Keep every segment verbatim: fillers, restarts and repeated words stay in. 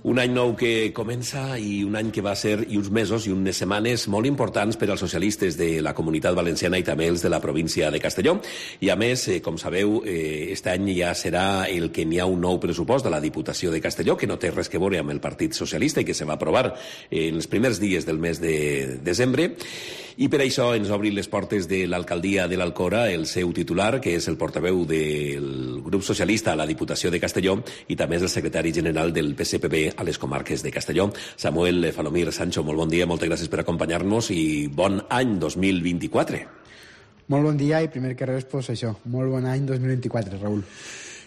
Un any nou que comença i un any que va ser, i uns mesos i unes setmanes molt importants per als socialistes de la Comunitat Valenciana i també els de la província de Castelló. I a més, eh, com sabeu, eh, este any ja serà el que n'hi ha un nou pressupost de la Diputació de Castelló, que no té res que veure amb el Partit Socialista i que se va aprovar en els primers dies del mes de desembre. I per això ens obrin les portes de l'alcaldia de l'Alcora el seu titular, que és el portaveu del grup socialista a la Diputació de Castelló i també és el secretari general del P S P B a les comarques de Castelló. Samuel Falomir Sancho, molt bon dia, moltes gràcies per acompanyar-nos i bon any dos mil vint-i-quatre. Molt bon dia i primer que res, pues això, molt bon any dos mil vint-i-quatre, Raül.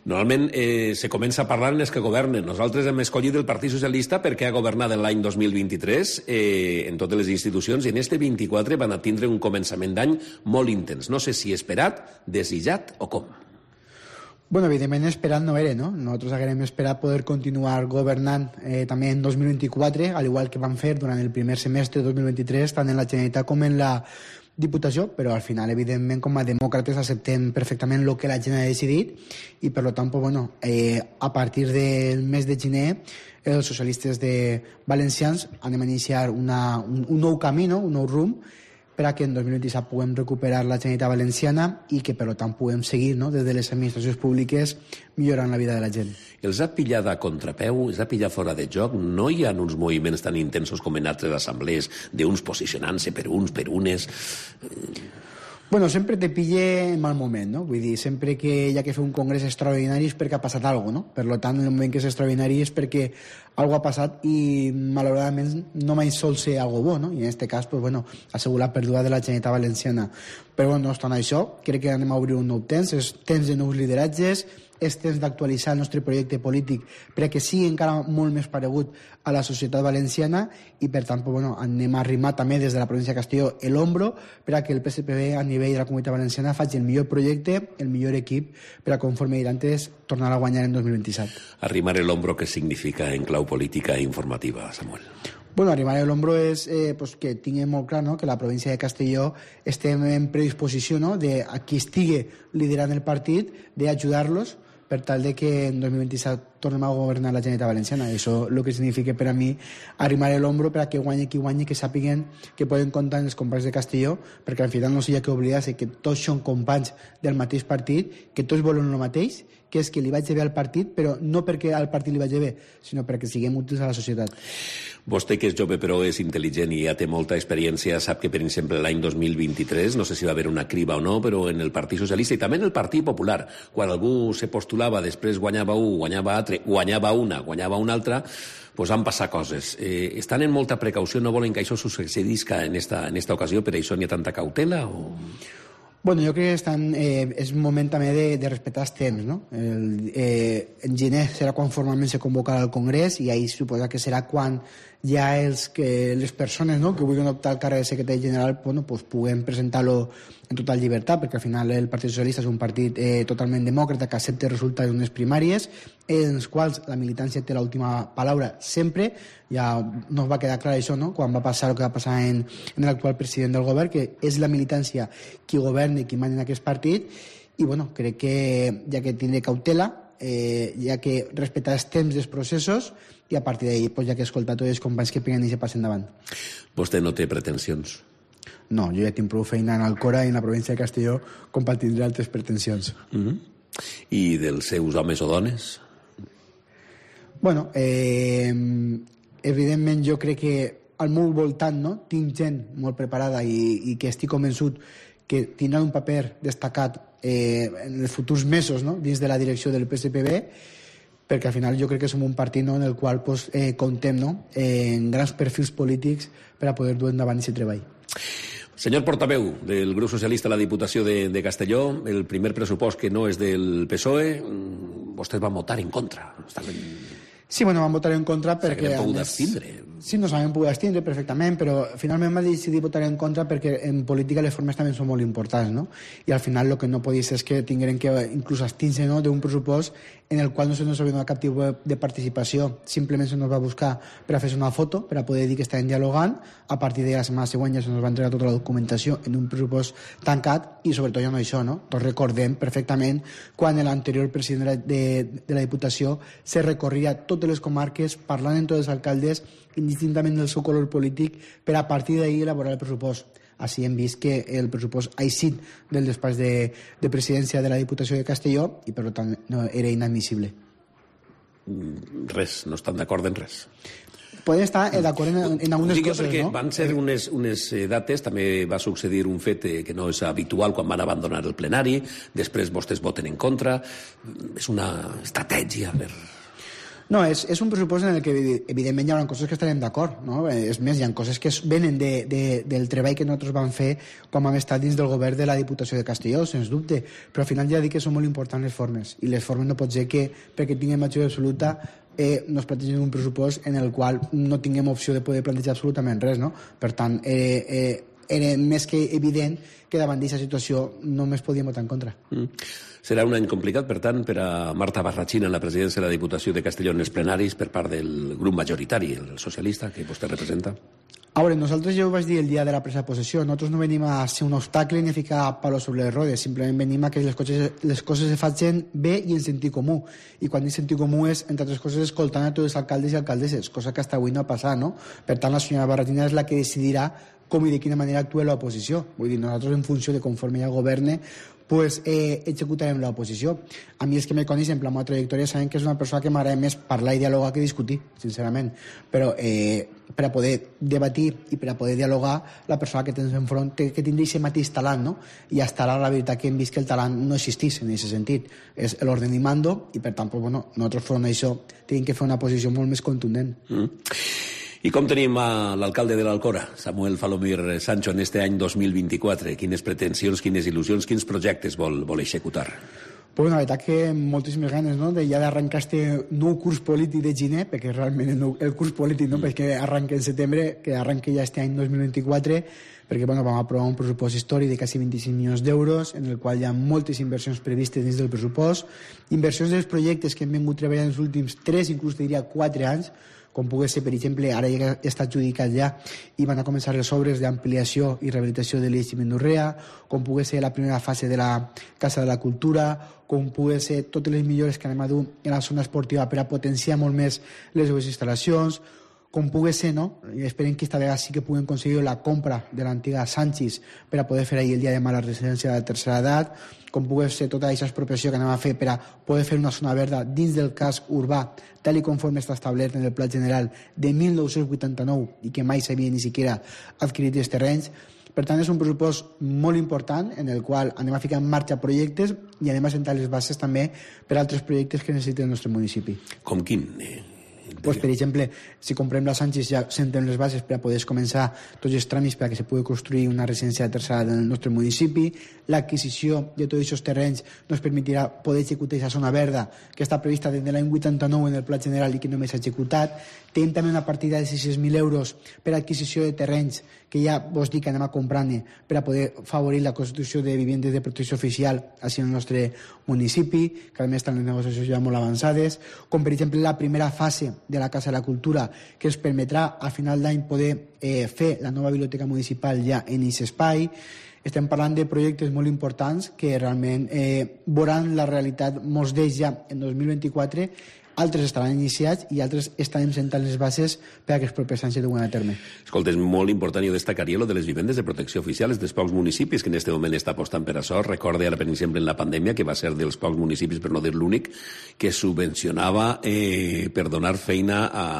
Normalment eh, se comença a parlar en els que governen. Nosaltres hem escollit el Partit Socialista perquè ha governat l'any dos mil vint-i-tres eh, en totes les institucions i en este vint-i-quatre van a tindre un començament d'any molt intens. No sé si esperat, desitjat o com. Bueno, evidentment esperat no era, no? Nosaltres haguem esperat poder continuar governant eh, també en dos mil vint-i-quatre, al igual que vam fer durant el primer semestre de dos mil vint-i-tres, tant en la Generalitat com en la Diputació, però al final, evidentment, com a demòcrates acceptem perfectament el que la gent ha decidit i, per tant, pues, bueno, eh, a partir del mes de gener, els socialistes de valencians anem a iniciar una, un, un nou camí, no? Un nou rumb, per a que en dos mil vint-i-set puguem recuperar la Generalitat Valenciana i que, per tant, puguem seguir, no? Des de les administracions públiques millorant la vida de la gent. Els ha pillat a contrapeu, els ha pillat fora de joc? No hi ha uns moviments tan intensos com en altres assemblees d'uns posicionant-se per uns, per unes? Bueno, sempre te pille en mal moment, no? Vull dir, sempre que hi ha que fer un congrés extraordinari és perquè ha passat alguna cosa, no? Per tant, en el moment que és extraordinari és perquè alguna ha passat i, malauradament, no mai sol ser algo bo, no? I en aquest cas, pues, bueno, ha sigut la pèrdua de la Generalitat Valenciana. Però, bueno, no obstant això, crec que anem a obrir un nou temps, és temps de nous lideratges, és temps d'actualitzar el nostre projecte polític perquè sigui encara molt més paregut a la societat valenciana i, per tant, pues, bueno, anem a arrimar també des de la província de Castelló l'hombro per a que el P S P B a nivell de la Comunitat Valenciana faci el millor projecte, el millor equip per a, conforme he dit antes, tornar a guanyar en dos mil vint-i-set. Arrimar l'hombro, què significa en clau política i informativa, Samuel? Bueno, arrimar l'hombro és eh, pues, que tinguem molt clar, no?, que la província de Castelló estem en predisposició, no?, de a qui estigui liderant el partit d'ajudar-los per tal de que en dos mil vint-i-set tornem a governar la Generalitat Valenciana. Això el que significa per a mi arrimar l'hombro per a que guanyi qui guanyi, que sàpiguen que poden comptar en els companys de Castelló, perquè al final no s'hi ha que oblidar-se que tots són companys del mateix partit, que tots volen el mateix, que és que li vagi bé al partit, però no perquè al partit li vagi bé, sinó perquè siguem útils a la societat. Vostè, que és jove però és intel·ligent i ja té molta experiència, sap que, per exemple, l'any dos mil vint-i-tres, no sé si va haver una criba o no, però en el Partit Socialista i també en el Partit Popular, quan algú se postulava, després guanyava un, guanyava altre, guanyava una, guanyava una altra, pues han passat coses. Eh, estan en molta precaució, no volen que això succeïsca en esta, en esta ocasió, per això n'hi ha tanta cautela o... Bueno, jo crec que estan, eh, és un moment també de, de respectar els temps, no? El, eh, en gener serà quan formalment se convocarà el Congrés i ahir suposa que serà quan ja els, que les persones, no?, que vulguin optar al càrrec de secretari general, bueno, pues, puguem presentar-lo en total llibertat, perquè al final el Partit Socialista és un partit eh, totalment demòcrata que accepta els resultats d'unes primàries en els quals la militància té l'última paraula sempre. Ja no va quedar clar això, no?, quan va passar el que va passar en, en l'actual president del govern, que és la militància qui governa i qui mana en aquest partit, i bueno, crec que hi ha que tindre cautela, eh, hi ha que respectar els temps dels processos i a partir d'ahir pues, hi ha que escoltar tots els companys que peguen i se passen davant. Vostè no té pretensions? No, jo ja tinc prou feina en Alcora i en la província de Castelló com per tindre altres pretensions. Mm-hmm. I dels seus homes o dones? Bueno, eh, evidentment jo crec que al meu voltant, no?, tinc gent molt preparada i, i que estic convençut que tindrà un paper destacat eh, en els futurs mesos, no?, dins de la direcció del P S P B, perquè al final jo crec que som un partit, no?, en el qual pues, eh, comptem, no?, eh, en grans perfils polítics per a poder dur endavant aquest treball. Senyor portaveu del grup socialista a la Diputació de, de Castelló, el primer pressupost que no és del P S O E, vostès van votar en contra. Estaven... Sí, bueno, van votar en contra perquè... S'hagueren pogut abstindre. Sí, nos vam poder abstindre perfectament, però finalment va decidir votar en contra perquè en política les formes també són molt importants, no? I al final el que no podia ser és que tingueren que inclús abstindre, no?, d'un pressupost en el qual no se nos havia donat cap tipus de participació. Simplement se nos va buscar per a fer una foto, per a poder dir que estàvem dialogant. A partir de la setmana següent ja se nos va entregar tota la documentació en un pressupost tancat i sobretot ja no això, no? Tots recordem perfectament quan l'anterior president de, de la Diputació se recorria totes les comarques parlant amb tots els alcaldes indistintament del seu color polític per a partir d'ahir elaborar el pressupost. Així hem vist que el pressupost ha eixit del despatx de, de presidència de la Diputació de Castelló i per tant no, era inadmissible. Res, no estan d'acord en res. Poden estar d'acord en, en algunes Digue coses, perquè no? Van ser unes, unes dates, també va succeir un fet que no és habitual quan van abandonar el plenari, després vostès voten en contra, és una estratègia per... No, és, és un pressupost en el que evidentment hi haurà coses que estarem d'acord, no? És més, hi ha coses que venen de, de, del treball que nosaltres vam fer quan vam estar dins del govern de la Diputació de Castelló, sens dubte, però al final ja dic que són molt importants les formes, i les formes no pot ser que, perquè tinguem majoria absoluta, eh, no es plantegin un pressupost en el qual no tinguem opció de poder plantejar absolutament res, no? Per tant, eh, eh, era més que evident que davant d'aquesta situació només podíem votar en contra. Mm. Serà un any complicat, per tant, per a Marta Barrachina en la presidència de la Diputació de Castelló en els plenaris per part del grup majoritari, el socialista, que vostè representa? A veure, nosaltres ja ho vaig dir el dia de la presa de possessió, nosaltres no venim a ser un obstacle ni a ficar palos sobre les rodes, simplement venim a que les coses, les coses se facin bé i en sentit comú. I quan dic sentit comú és, entre altres coses, escoltant a tots els alcaldes i alcaldesses, cosa que hasta avui no ha passat, no? Per tant, la senyora Barrachina és la que decidirà com i de quina manera actua l'oposició. Vull dir, nosaltres en funció de conforme ja governe, pues, eh, executarem l'oposició. A mi els que me coneixen per la meva trajectòria saben que és una persona que m'agrada més parlar i dialogar que discutir, sincerament. Però eh, per a poder debatir i per a poder dialogar, la persona que tens enfront té que tindre aquest mateix talent, no? I hasta ara la veritat que hem vist que el talent no existís en aquest sentit. És l'ordre i mando i per tant, pues, bueno, nosaltres front a això tenim que fer una posició molt més contundent. Mm. I com tenim a l'alcalde de l'Alcora, Samuel Falomir Sancho, en este any dos mil vint-i-quatre? Quines pretensions, quines il·lusions, quins projectes vol, vol executar? Pues la veritat que moltíssimes ganes, no?, de ja d'arrencar este nou curs polític de gener, perquè realment el, nou, el curs polític, no?, mm. perquè arranca en setembre, que arranca ja este any dos mil vint-i-quatre, perquè bueno, vam aprovar un pressupost històric de quasi vint-i-cinc milions d'euros, en el qual hi ha moltes inversions previstes dins del pressupost, inversions dels projectes que hem vingut treballant els últims tres, inclús diria quatre anys, com pugui ser, per exemple, ara ja està adjudicat ja i van a començar les obres d'ampliació i rehabilitació de l'Eix Mendorrea, com pugui ser la primera fase de la Casa de la Cultura, com pugui ser totes les millores que anem a dur en la zona esportiva per a potenciar molt més les seves instal·lacions, com pugui ser, no? I esperem que esta vegada sí que puguem aconseguir la compra de l'antiga Sanchis per a poder fer ahir el dia de demà la residència de tercera edat, com pugui ser tota aquesta expropiació que anem a fer per a poder fer una zona verda dins del casc urbà, tal i conforme està establert en el Pla General de mil nou-cents vuitanta-nou i que mai s'havia ni siquiera adquirit els terrenys. Per tant, és un pressupost molt important en el qual anem a ficar en marxa projectes i anem a sentar les bases també per a altres projectes que necessita el nostre municipi. Com quin? Eh... Pues, per exemple, si comprem la Sánchez ja sentem les bases per a poder començar tots els tràmits per a que se pugui construir una residència de tercera edat en el nostre municipi. L'adquisició de tots aquests terrenys nos permetirà poder executar aquesta zona verda que està prevista des de l'any vuitanta-nou en el Pla General i que només s'ha executat. Tenim també una partida de sis-cents mil euros per a adquisició de terrenys que ja vos dic que anem a comprar-ne per a poder favorir la construcció de vivendes de protecció oficial així en el nostre municipi, que a més estan les negociacions ja molt avançades, com per exemple la primera fase de la Casa de la Cultura, que ens permetrà a final d'any poder eh, fer la nova biblioteca municipal ja en aquest espai. Estem parlant de projectes molt importants que realment eh, veuran la realitat, molts d'ells ja en dos mil vint-i-quatre, altres estaran iniciats i altres estarem sentant les bases per a que els propers anys se duen a terme. Escolta, és molt important, jo destacaria lo de les vivendes de protecció oficial, dels pocs municipis que en aquest moment està apostant per això. Recorde ara, per exemple, en la pandèmia, que va ser dels pocs municipis, per no dir l'únic, que subvencionava eh, per donar feina a,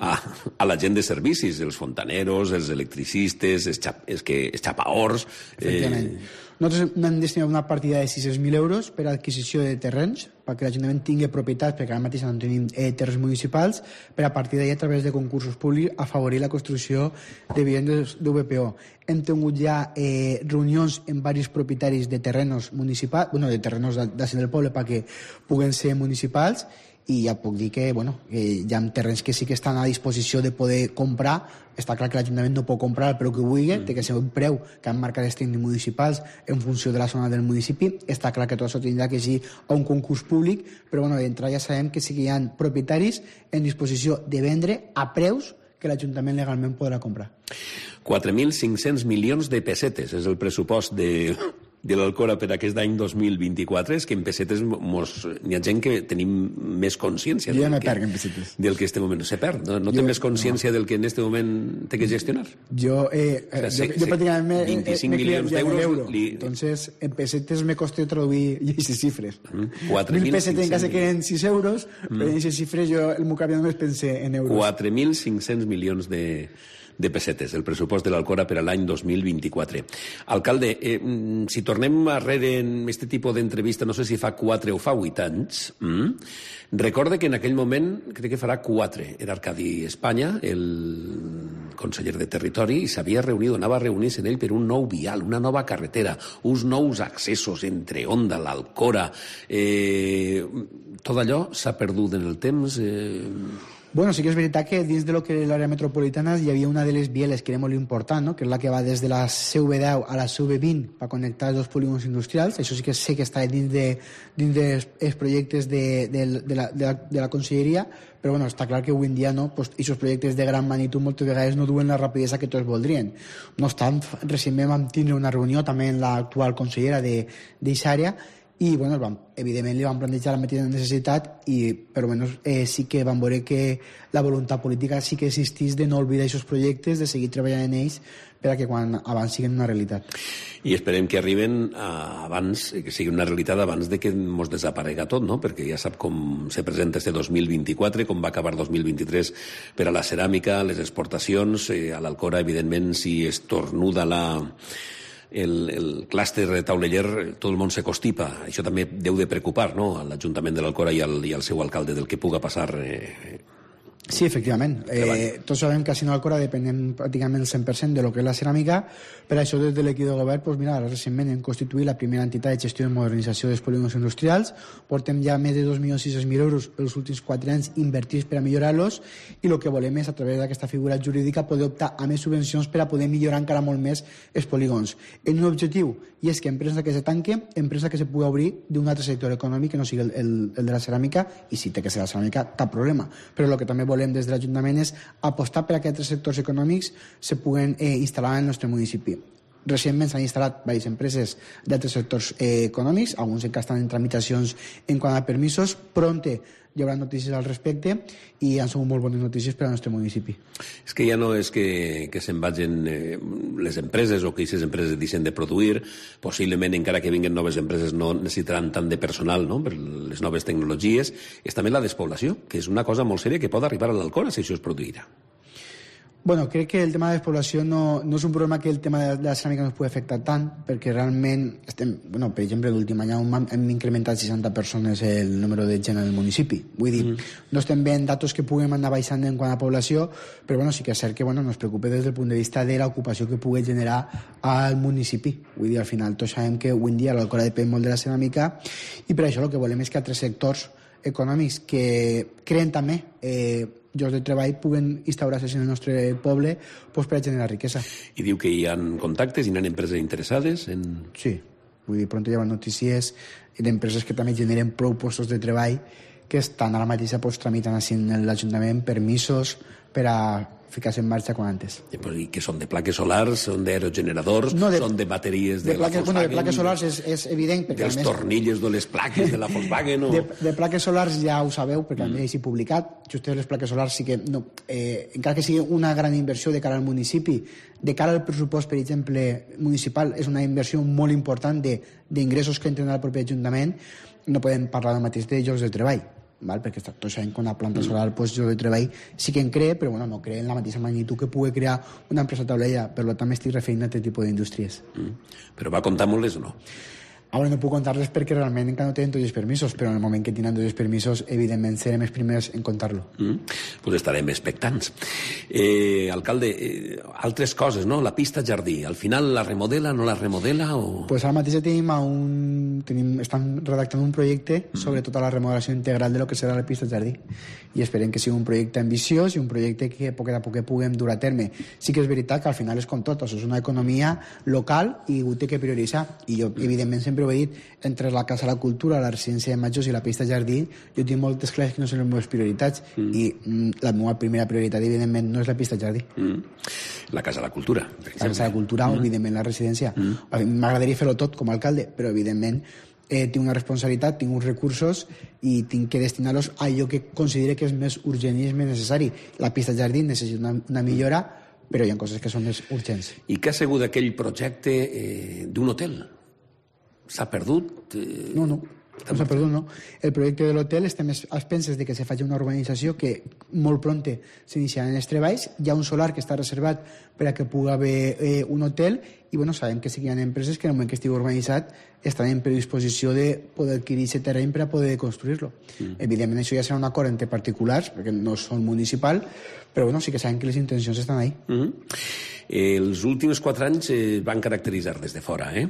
a, a la gent de servicis, els fontaneros, els electricistes, els, xap, els, que, els xapaors... Efectivament. Eh... Nosaltres hem destinat una partida de sis-cents mil euros per a adquisició de terrenys, perquè l'Ajuntament tingui propietats, perquè ara mateix no tenim eh, terres municipals, per a partir d'ahir, a través de concursos públics, afavorir la construcció de vivendes d'U V P O. Hem tingut ja eh, reunions amb diversos propietaris de terrenos municipals, bueno, de terrenos d'ací del poble, perquè puguen ser municipals, i ja puc dir que, bueno, que hi ha terrenys que sí que estan a disposició de poder comprar. Està clar que l'Ajuntament no pot comprar el preu que vulgui, mm. té que ser un preu que han marcat els tècnics municipals en funció de la zona del municipi. Està clar que tot això tindrà que ser a un concurs públic, però bueno, d'entrada ja sabem que sí que hi ha propietaris en disposició de vendre a preus que l'Ajuntament legalment podrà comprar. quatre mil cinc-cents milions de pessetes és el pressupost de... de l'Alcora per aquest any dos mil vint-i-quatre. És que en pessetes mos... hi ha gent que tenim més consciència jo ja me que, perc en pessetes. del que en este moment se perd. No, no jo, té més consciència no. del que en este moment té que gestionar. Jo, eh, o sea, jo, yo, yo prácticamente me, vint-i-cinc me milions d'euros. Euro. Li... Entonces, en pesetes me costó traduir aquestes xifres. Mm, mil pesetes en casa queden sis euros, mm. però en aquestes xifres jo el meu cap només pensé en euros. quatre mil cinc-cents milions de... de pessetes, el pressupost de l'Alcora per a l'any dos mil vint-i-quatre. Alcalde, eh, si tornem arrere en aquest tipus d'entrevista, no sé si fa quatre o fa vuit anys, mm, recorde que en aquell moment, crec que farà quatre, era Arcadi Espanya, el conseller de Territori, i s'havia reunit, anava a reunir-se en ell per un nou vial, una nova carretera, uns nous accessos entre Onda, l'Alcora... Eh, tot allò s'ha perdut en el temps... Eh... Bueno, sí que és veritat que dins de lo que l'àrea metropolitana hi havia una de les bieles que era molt important, no? Que és la que va des de la C V deu a la C V vint per connectar els dos polígons industrials. Això sí que sé que està dins de, dins dels de projectes de, de, de, la, de, la, de la conselleria, però bueno, està clar que avui en dia no, pues, aquests projectes de gran magnitud moltes vegades no duen la rapidesa que tots voldrien. No obstant, recentment vam tindre una reunió també amb l'actual consellera d'aquesta àrea i bueno, vam, evidentment li vam plantejar la mateixa necessitat i per almenys eh, sí que vam veure que la voluntat política sí que existís de no oblidar aquests projectes, de seguir treballant en ells per a que quan abans siguin una realitat. I esperem que arriben a, abans, que sigui una realitat abans de que ens desaparega tot, no? Perquè ja sap com se presenta este dos mil vint-i-quatre, com va acabar dos mil vint-i-tres per a la ceràmica, les exportacions, eh, a l'Alcora, evidentment, si es tornuda la... el, el clúster tauleller, tot el món se constipa. Això també deu de preocupar, no?, a l'Ajuntament de l'Alcora i al, i al seu alcalde del que puga passar... Eh, Sí, efectivament. Eh, tots sabem que a Casino Alcora depenem pràcticament el cent per cent de lo que és la ceràmica. Per això, des de l'equip de govern, pues mira, recentment hem constituït la primera entitat de gestió i modernització dels polígons industrials. Portem ja més de dos milions sis-cents mil euros els últims quatre anys invertits per a millorar-los i el que volem és, a través d'aquesta figura jurídica, poder optar a més subvencions per a poder millorar encara molt més els polígons. En un objectiu, i és que empresa que se tanque, empresa que se pugui obrir d'un altre sector econòmic que no sigui el, el, el de la ceràmica, i si té que ser la ceràmica, cap problema. Però el que també volem des de l'Ajuntament és apostar per a que altres sectors econòmics se puguen eh, instal·lar en el nostre municipi. Recentment s'han instal·lat diverses empreses d'altres sectors eh, econòmics, alguns encara estan en tramitacions en quant a permisos. Pronte hi haurà notícies al respecte i han sigut molt bones notícies per al nostre municipi. És que ja no és que, que se'n vagin eh, les empreses o que aquestes empreses deixen de produir, possiblement encara que vinguen noves empreses no necessitaran tant de personal, no?, per les noves tecnologies. És també la despoblació, que és una cosa molt sèria que pot arribar a l'Alcora si això es produirà. Bueno, crec que el tema de despoblació no, no és un problema que el tema de, de la ceràmica no es pugui afectar tant, perquè realment estem, bueno, per exemple, l'últim any hem, hem incrementat seixanta persones el número de gent en el municipi. Vull dir, mm. no estem veient datos que puguem anar baixant en quant a població, però bueno, sí que és cert que bueno, nos preocupa des del punt de vista de l'ocupació que pugui generar al municipi. Vull dir, al final tots sabem que avui en dia l'Alcora depèn molt de la ceràmica i per això el que volem és que altres sectors econòmics que creen també eh, llocs de treball puguen instaurar-se en el nostre poble pues, per a generar riquesa. I diu que hi ha contactes, hi ha empreses interessades en... Sí, vull dir, pronto hi ha notícies d'empreses que també generen prou postos de treball que estan ara mateix pues, tramitant així en l'Ajuntament permisos per a ficar-se en marxa quan antes. I que són de plaques solars, són d'aerogeneradors, no, són de bateries de, de plaques, la Volkswagen... Bueno, de plaques solars és, és evident... Dels més... tornilles de les plaques de la Volkswagen o... De, de plaques solars ja ho sabeu, perquè mm. també és publicat. Justament les plaques solars sí que... No, eh, encara que sigui una gran inversió de cara al municipi, de cara al pressupost, per exemple, municipal, és una inversió molt important d'ingressos que entren al propi Ajuntament, no podem parlar del mateix de llocs de treball. Val? Perquè tots sabem que una planta solar pues, jo de treball sí que en crea, però bueno, no crea en la mateixa magnitud que pugui crear una empresa taulella, per tant m'estic referint a aquest tipus d'indústries. Mm. Però va comptar molt o no? Ara no puc contar res perquè realment encara no tenen tots els permisos, però en el moment que tenen tots els permisos, evidentment serem els primers en contar-lo. Mm, pues estarem expectants. Eh, alcalde, eh, altres coses, no? La pista jardí, al final la remodela, no la remodela o...? Pues ara mateix tenim, a un, tenim estan redactant un projecte sobre tota la remodelació integral de lo que serà la pista jardí i esperem que sigui un projecte ambiciós i un projecte que a poc a poc puguem dur a terme. Sí que és veritat que al final és com tot, això és una economia local i ho té que prioritzar, i jo evidentment sempre ho he dit, entre la Casa de la Cultura, la residència de Majors i la pista jardí, jo tinc moltes clares que no són les meves prioritats mm. i mm, la meva primera prioritat evidentment no és la pista jardí. Mm. La Casa de la Cultura, per exemple. La Casa de la Cultura mm. o evidentment la residència. Mm. M'agradaria fer-ho tot com a alcalde, però evidentment eh, tinc una responsabilitat, tinc uns recursos i tinc que destinar-los a allò que considere que és més urgent i és més necessari. La pista jardí necessita una, una millora, però hi ha coses que són més urgents. I què ha sigut aquell projecte eh, d'un hotel? S'ha perdut? Eh... No, no, no s'ha perdut, no. El projecte de l'hotel estem als penses de que se faci una urbanització que molt pronte s'iniciaran els treballs. Hi ha un solar que està reservat per a que pugui haver eh, un hotel i bueno, sabem que sí que hi ha empreses que en el moment que estigui urbanitzat estan en predisposició de poder adquirir aquest terreny per a poder construir-lo. Mm. Evidentment això ja serà un acord entre particulars perquè no són municipal, però bueno, sí que sabem que les intencions estan ahí. Mm-hmm. Eh, els últims quatre anys eh, van caracteritzar des de fora eh?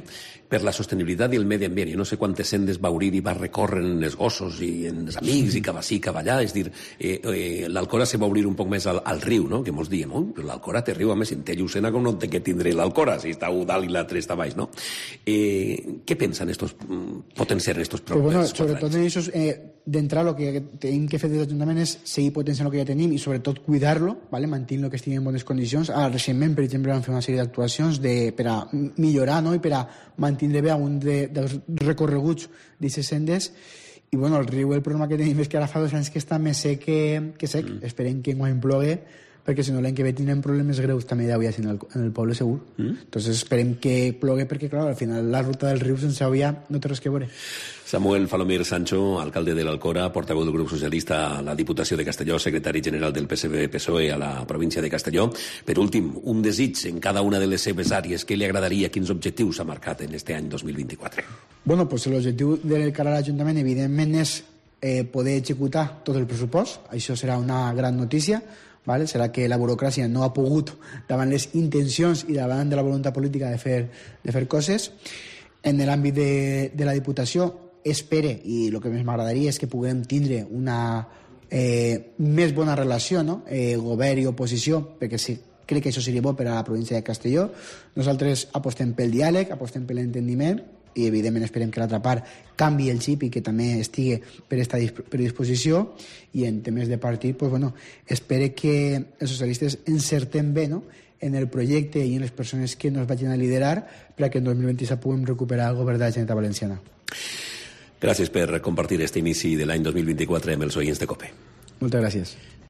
per la sostenibilitat i el medi ambient. Jo no sé quantes sendes va obrir i va recórrer en els gossos i en els amics i cap ací, cap allà. És dir, eh, eh, l'Alcora se va obrir un poc més al, al riu, no? Que molts diem, oh, però l'Alcora té riu, a més, si té Llucena com no té que tindre l'Alcora, si està un dalt i l'altre està baix, no? Eh, què pensen estos, potenciar estos propers bueno, sobretot en això, eh, d'entrar, el que tenim que fer des de l'Ajuntament és seguir potenciant el que ja tenim i sobretot cuidar-lo, ¿vale? Mantenir-lo que estigui en bones condicions. Ara, recentment, per exemple, vam fer una sèrie d'actuacions de, per a millorar, no? I per a mantenir bé un de, dels recorreguts d'aquestes sendes. I bueno, el riu, el problema que tenim és que ara fa dos anys que està més sec que, que sec. Mm. Esperem que enguany plogue, perquè si no l'any que ve tindrem problemes greus també d'avui en, el, en el poble segur. Mm. Entonces esperem que plogue perquè, clar, al final la ruta del riu sense Avia no té res que veure. Samuel Falomir Sancho, alcalde de l'Alcora, portaveu del grup socialista a la Diputació de Castelló, secretari general del P S D P S O E a la província de Castelló. Per últim, un desig en cada una de les seves àrees. Què li agradaria? Quins objectius s'ha marcat en este any dos mil vint-i-quatre? Bueno, pues l'objectiu del cara a l'Ajuntament, evidentment, és eh, poder executar tot el pressupost. Això serà una gran notícia. Vale? Serà que la burocràcia no ha pogut davant les intencions i davant de la voluntat política de fer, de fer coses. En l'àmbit de, de la Diputació espere, i el que més m'agradaria és que puguem tindre una eh, més bona relació, no? eh, govern i oposició, perquè sí, crec que això seria bo per a la província de Castelló. Nosaltres apostem pel diàleg, apostem per l'entendiment i evidentment esperem que l'altra part canvi el xip i que també estigui per esta predisposició. I en temes de partit, pues, bueno, espero que els socialistes encertem bé, no?, en el projecte i en les persones que nos vagin a liderar per a que en dos mil vint-i-set puguem recuperar el govern de la Generalitat Valenciana. Gràcies per compartir este inici de l'any dos mil vint-i-quatre amb els oients de COPE. Moltes gràcies.